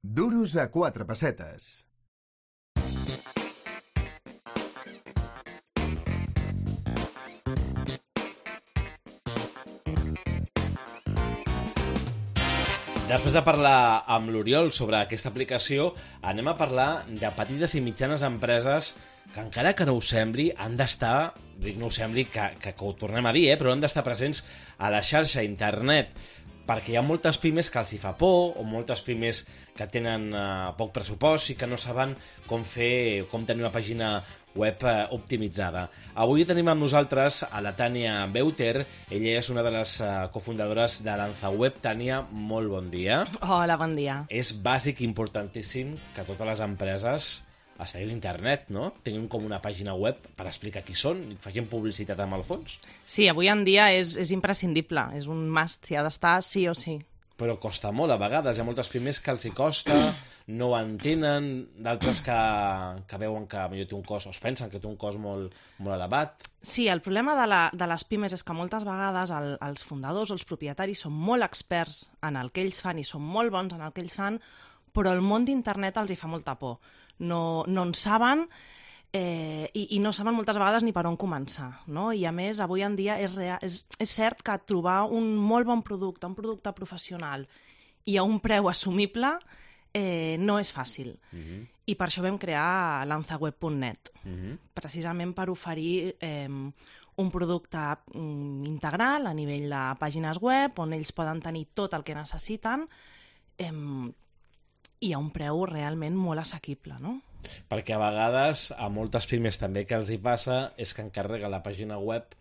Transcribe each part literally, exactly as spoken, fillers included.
Duros a quatre pessetes. Després de parlar amb l'Oriol sobre aquesta aplicació, anem a parlar de petites i mitjanes empreses que, encara que no ho sembli, han d'estar, dic no ho sembli, que, que, que ho tornem a dir, eh, però han d'estar presents a la xarxa, a internet, perquè hi ha moltes pimes que els hi fa por, o moltes pimes que tenen uh, poc pressupost i que no saben com fer, com tenir una pàgina web uh, optimitzada. Avui tenim amb nosaltres a la Tània Beuter. Ella és una de les uh, cofundadores de LanzaWeb. Tània, molt bon dia. Hola, bon dia. És bàsic i importantíssim que totes les empreses estiguin a internet, no? Tinguin com una pàgina web per explicar qui són i facin publicitat amb el fons. Sí, avui en dia és, és imprescindible, és un must, s'hi ha d'estar sí o sí. Però costa molt, a vegades. Hi ha moltes pimes que els hi costa, no ho entenen, d'altres que, que veuen que potser té un cost, o es pensen que té un cost molt, molt elevat. Sí, el problema de, la, de les pimes és que moltes vegades el, els fundadors o els propietaris són molt experts en el que ells fan i són molt bons en el que ells fan, però el món d'internet els hi fa molta por. No, no en saben eh, i, i no saben moltes vegades ni per on començar, no? I a més, avui en dia és, real, és, és cert que trobar un molt bon producte, un producte professional i a un preu assumible eh, no és fàcil. Uh-huh. I per això vam crear lanzaweb punt net, uh-huh. precisament per oferir eh, un producte mm, integral a nivell de pàgines web on ells poden tenir tot el que necessiten eh, i a un preu realment molt assequible, no? Perquè a vegades, a moltes pimes també que els hi passa és que encarrega la pàgina web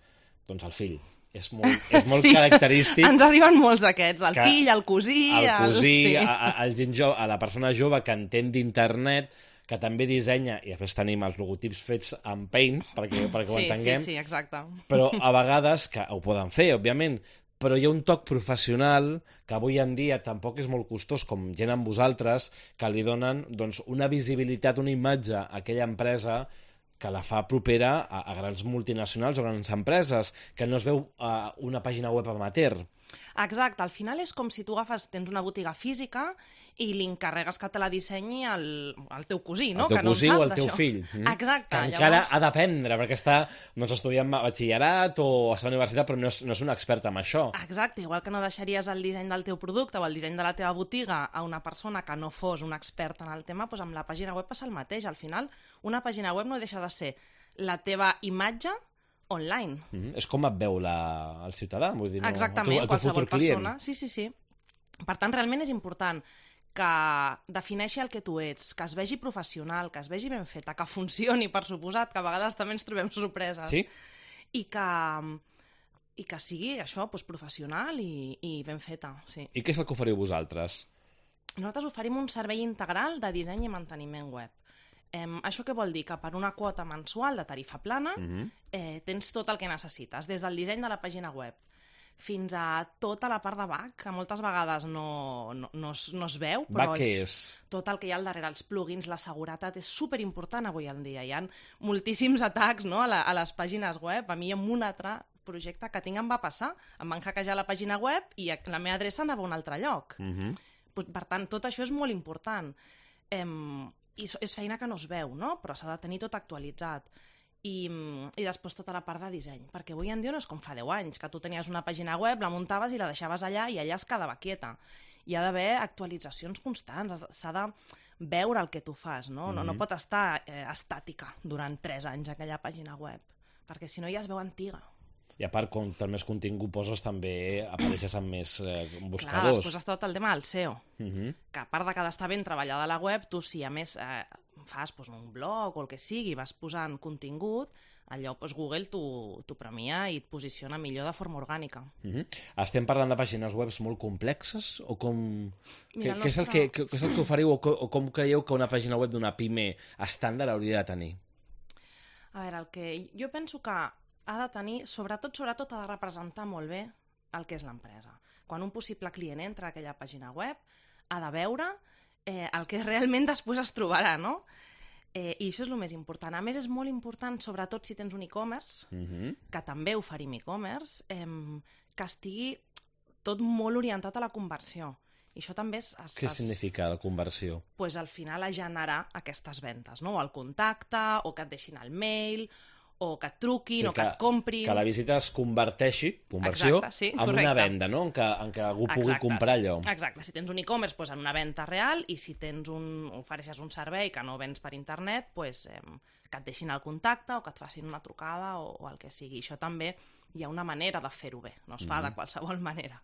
doncs el fill. És molt, és molt sí, característic. Ens arriben molts d'aquests, el fill, el cosí... El cosí, el, sí. a, a, el gent jove, a la persona jove que entén d'internet, que també dissenya, i a més tenim els logotips fets en Paint, perquè, perquè ho sí, entenguem. Sí, sí, exacte. Però a vegades, que ho poden fer, òbviament, però hi ha un toc professional que avui en dia tampoc és molt costós, com gent amb vosaltres, que li donen doncs, una visibilitat, una imatge a aquella empresa que la fa propera a, a grans multinacionals o grans empreses, que no es veu uh, una pàgina web amateur. Exacte, al final és com si tu agafes, tens una botiga física i li encarregues que te la dissenyi el, el teu cosí, no? El teu que no cosí o el teu d'això. fill. Mm? Exacte. Que encara llavors... ha d'aprendre, perquè està doncs, estudiant batxillerat o a la universitat, però no és, no és un expert en això. Exacte, igual que no deixaries el disseny del teu producte o el disseny de la teva botiga a una persona que no fos un expert en el tema, doncs amb la pàgina web passa el mateix. Al final, una pàgina web no deixa de ser la teva imatge online. Mm-hmm. És com et veu la, el ciutadà, vull dir, no, exactament, el teu, el teu futur client. Persona. Sí, sí, sí. Per tant, realment és important que defineixi el que tu ets, que es vegi professional, que es vegi ben feta, que funcioni, per suposat, que a vegades també ens trobem sorpreses. Sí? I que, i que sigui això, doncs, professional i, i ben feta. Sí. I què és el que oferiu vosaltres? Nosaltres oferim un servei integral de disseny i manteniment web. Eh, això què vol dir? Que per una quota mensual de tarifa plana uh-huh. eh, tens tot el que necessites, des del disseny de la pàgina web fins a tota la part de back, que moltes vegades no, no, no, es, no es veu, però back és, és tot el que hi ha al darrere, els plugins, la seguretat, és superimportant avui en dia. Hi ha moltíssims atacs, no, a, la, a les pàgines web. A mi amb un altre projecte que tinc em va passar. Em van hackejar la pàgina web i la meva adreça anava a un altre lloc. Uh-huh. Per tant, tot això és molt important. Em, I és feina que no es veu, no? Però s'ha de tenir tot actualitzat. I, i després tota la part de disseny, perquè avui en dia no és com fa deu anys, que tu tenies una pàgina web, la muntaves i la deixaves allà i allà es quedava quieta. Hi ha d'haver actualitzacions constants, s'ha de veure el que tu fas, no? No, no pot estar eh, estàtica durant tres anys aquella pàgina web, perquè si no ja es veu antiga. I a part, com més contingut poses, també apareixes amb més eh, buscadors. Clar, després està tot el tema del S E O, uh-huh. que a part de que ha d'estar ben treballada la web, tu si a més eh, fas doncs, un blog o el que sigui, vas posant contingut, allò doncs, Google t'ho premia i et posiciona millor de forma orgànica. Uh-huh. Estem parlant de pàgines web molt complexes? O com... Mira, què, què, és el que, què és el que oferiu o, o com creieu que una pàgina web d'una pime estàndard hauria de tenir? A veure, el que jo penso que ha de tenir, sobretot, sobretot ha de representar molt bé el que és l'empresa. Quan un possible client entra a aquella pàgina web, ha de veure eh, el que realment després es trobarà, no? Eh, I això és el més important. A més, és molt important, sobretot si tens un e-commerce, uh-huh. que també oferim e-commerce, eh, que estigui tot molt orientat a la conversió. I això també es... es Què es... significa la conversió? Pues al final a generar aquestes ventes, no? O el contacte, o que et deixin el mail, o que et truquin, Sí, o que, que et comprin... Que la visita es converteixi, conversió, Exacte, sí, en correcte. una venda, no? En què, en què algú pugui Exacte, comprar allò. Exacte, si tens un e-commerce, doncs en una venda real, i si tens un, ofereixes un servei que no vens per internet, doncs, eh, que et deixin el contacte o que et facin una trucada o, o el que sigui. Això també hi ha una manera de fer-ho bé, no es fa Mhm. de qualsevol manera.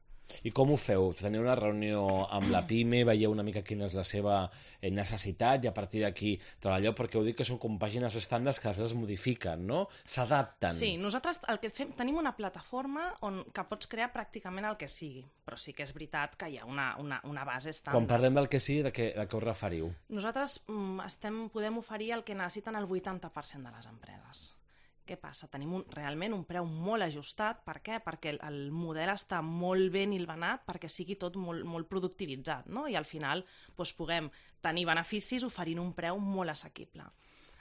I com ho feu? Teniu una reunió amb la PIME, veieu una mica quina és la seva eh, necessitat i a partir d'aquí treballeu, perquè heu dit que són com pàgines estàndards que després es modifiquen, no? S'adapten. Sí, nosaltres el que fem, tenim una plataforma on que pots crear pràcticament el que sigui, però sí que és veritat que hi ha una, una, una base estàndard. Quan parlem del que sigui, de què, de què us referiu? Nosaltres mm, estem, podem oferir el que necessiten el vuitanta per cent de les empreses. Què passa? Tenim un, realment un preu molt ajustat. Per què? Perquè el, el model està molt ben hilvanat perquè sigui tot molt, molt productivitzat, no? I al final doncs, puguem tenir beneficis oferint un preu molt assequible.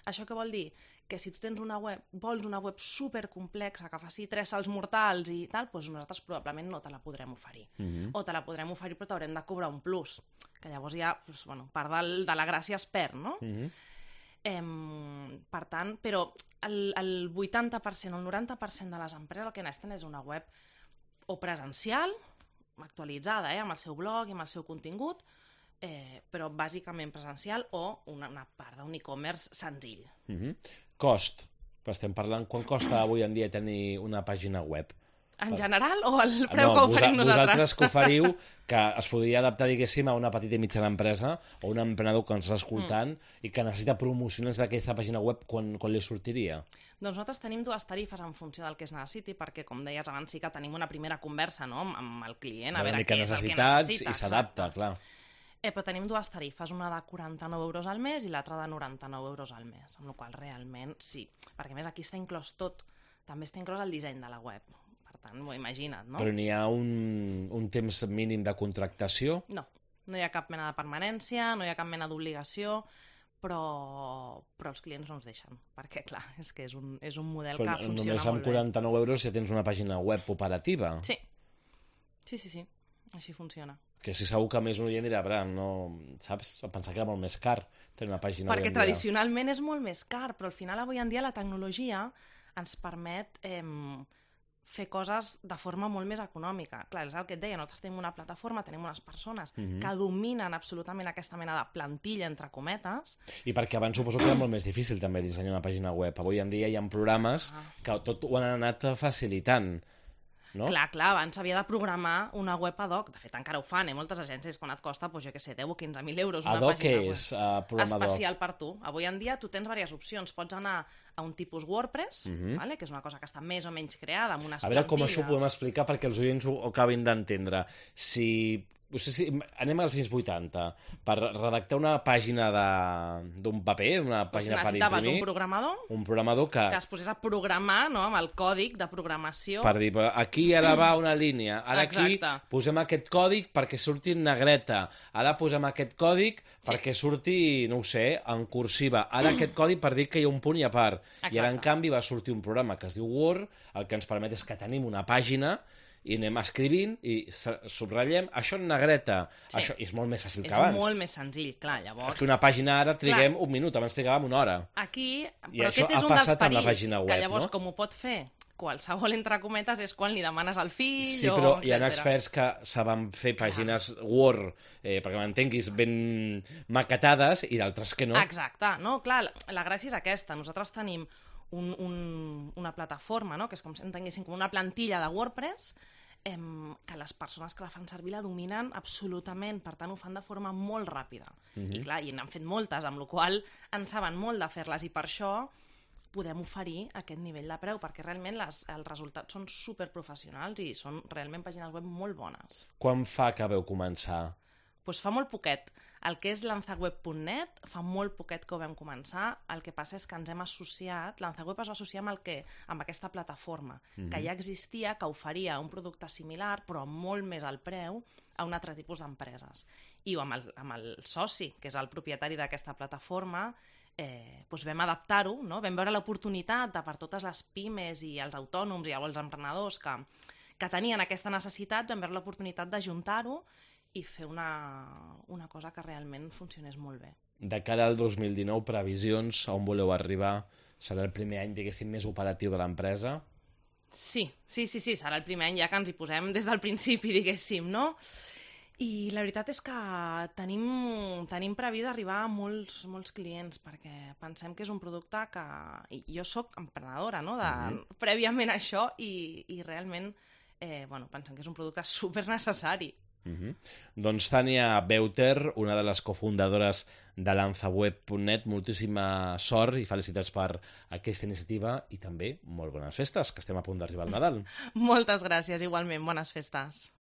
Això què vol dir? Que si tu tens una web, vols una web supercomplexa que faci tres salts mortals i tal, doncs nosaltres probablement no te la podrem oferir. Mhm. O te la podrem oferir però t'haurem de cobrar un plus, que llavors ja, doncs, bueno, part del, de la gràcia es perd, no? Mhm. Eh, per tant, però el, el vuitanta per cent o el noranta per cent de les empreses el que necessiten és una web o presencial, actualitzada, eh, amb el seu blog i amb el seu contingut, eh, però bàsicament presencial o una, una part d'un e-commerce senzill. Mhm. Cost. Estem parlant, quan costa avui en dia tenir una pàgina web? En general o el preu no, que oferim vosa, nosaltres? Vosaltres que oferiu, que es podria adaptar, diguéssim, a una petita i mitjana empresa o un emprenedor que ens està escoltant mm. i que necessita promocionar d'aquesta pàgina web, quan, quan li sortiria? Doncs nosaltres tenim dues tarifes en funció del que es necessiti, perquè, com deies abans, sí que tenim una primera conversa, no?, amb, amb el client, a veure què és el que necessita. I s'adapta, clar. Eh, però tenim dues tarifes, una de quaranta-nou euros al mes i l'altra de noranta-nou euros al mes, amb la qual cosa realment sí, perquè a més aquí està inclòs tot, també està inclòs el disseny de la web. Per tant, m'ho imagina't, no? Però n'hi ha un, un temps mínim de contractació? No, no hi ha cap mena de permanència, no hi ha cap mena d'obligació, però, però els clients no ens deixen, perquè clar, és que és un, és un model però que funciona només amb molt bé. quaranta-nou euros ja tens una pàgina web operativa? Sí, sí, sí, sí. Així funciona. Que si segur que més un oient dirà, bra, no, saps? Pensar que era molt més car tenir una pàgina Perquè avui en dia. tradicionalment és molt més car, però al final avui en dia la tecnologia ens permet eh, fer coses de forma molt més econòmica. Clar, és el que et deia, nosaltres tenim una plataforma, tenim unes persones Mhm. que dominen absolutament aquesta mena de plantilla, entre cometes. I perquè abans suposo que era molt més difícil també dissenyar una pàgina web. Avui en dia hi ha programes Ah. que tot ho han anat facilitant, no? Clar, clar, abans s'havia de programar una web ad hoc. De fet, encara ho fan, eh? Moltes agències, quan et costa, doncs, jo què sé, deu o quinze mil euros una Ad hoc pàgina què web. és? Uh, programador? Especial per tu. Avui en dia tu tens diverses opcions. Pots anar a un tipus WordPress, Mhm. vale? Que és una cosa que està més o menys creada, amb unes A veure com plantilles. això ho podem explicar perquè els oients ho, ho acabin d'entendre. Si, no sé si anem als anys vuitanta, per redactar una pàgina de- d'un paper, una Doncs pàgina per necessitaves imprimir, un programador un programador que, que es posés a programar, no?, amb el còdic de programació. per dir, aquí ara va una línia, ara aquí Exacte. posem aquest còdic perquè surti en negreta, ara posem aquest còdic perquè surti, no ho sé, en cursiva, ara aquest còdic per dir que hi ha un punt i a part. I ara, en Exacte. canvi, va sortir un programa que es diu Word, el que ens permet és que tenim una pàgina i anem escrivint i subratllem això en negreta. Sí. Això és molt més fàcil És que abans. molt més senzill, clar, llavors... És que una pàgina ara triguem un minut, abans trigàvem una hora. Aquí, I però això aquest és ha un dels passat amb la perills, pàgina que web, llavors, no? com ho pot fer qualsevol, entre cometes, és quan li demanes al fill Sí, o però hi ha etcètera. experts que saben fer pàgines Word, eh, perquè m'entenguis, ben maquetades, i d'altres que no. Exacte, no? Clar, la, la gràcia és aquesta. Nosaltres tenim un, un, una plataforma, no?, que és com si entenguéssim com una plantilla de WordPress, em, que les persones que la fan servir la dominen absolutament, per tant ho fan de forma molt ràpida. Mhm. I clar, i n'han fet moltes, amb la qual cosa en saben molt de fer-les, i per això podem oferir aquest nivell de preu, perquè realment les, els resultats són superprofessionals i són realment pàgines web molt bones. Quan fa que veu començar? Doncs fa molt poquet. El que és lanzaweb punt net fa molt poquet que ho vam començar. El que passa és que ens hem associat, Lanzaweb es va associar amb, el que, amb aquesta plataforma, Mhm. que ja existia, que oferia un producte similar, però molt més al preu, a un altre tipus d'empreses. I amb el, amb el soci, que és el propietari d'aquesta plataforma, eh, doncs vam adaptar-ho, no? Vam veure l'oportunitat de, per totes les pimes i els autònoms i els emprenedors que, que tenien aquesta necessitat, vam veure l'oportunitat d'ajuntar-ho i fer una, una cosa que realment funcionés molt bé. De cara al dos mil dinou, previsions, a on voleu arribar? Serà el primer any, diguéssim, més operatiu de l'empresa? Sí, sí, sí, sí, serà el primer any ja que ens hi posem des del principi, diguéssim, no? I la veritat és que tenim, tenim previst arribar a molts, molts clients, perquè pensem que és un producte que... I jo sóc emprenedora, no?, de, mm-hmm. prèviament a això, i, i realment eh, bueno, pensem que és un producte supernecessari. Mm-hmm. Doncs Tània Beuter, una de les cofundadores de lanzaweb punt net, moltíssima sort i felicitats per aquesta iniciativa i també molt bones festes, que estem a punt d'arribar al Nadal. Moltes gràcies, igualment, bones festes.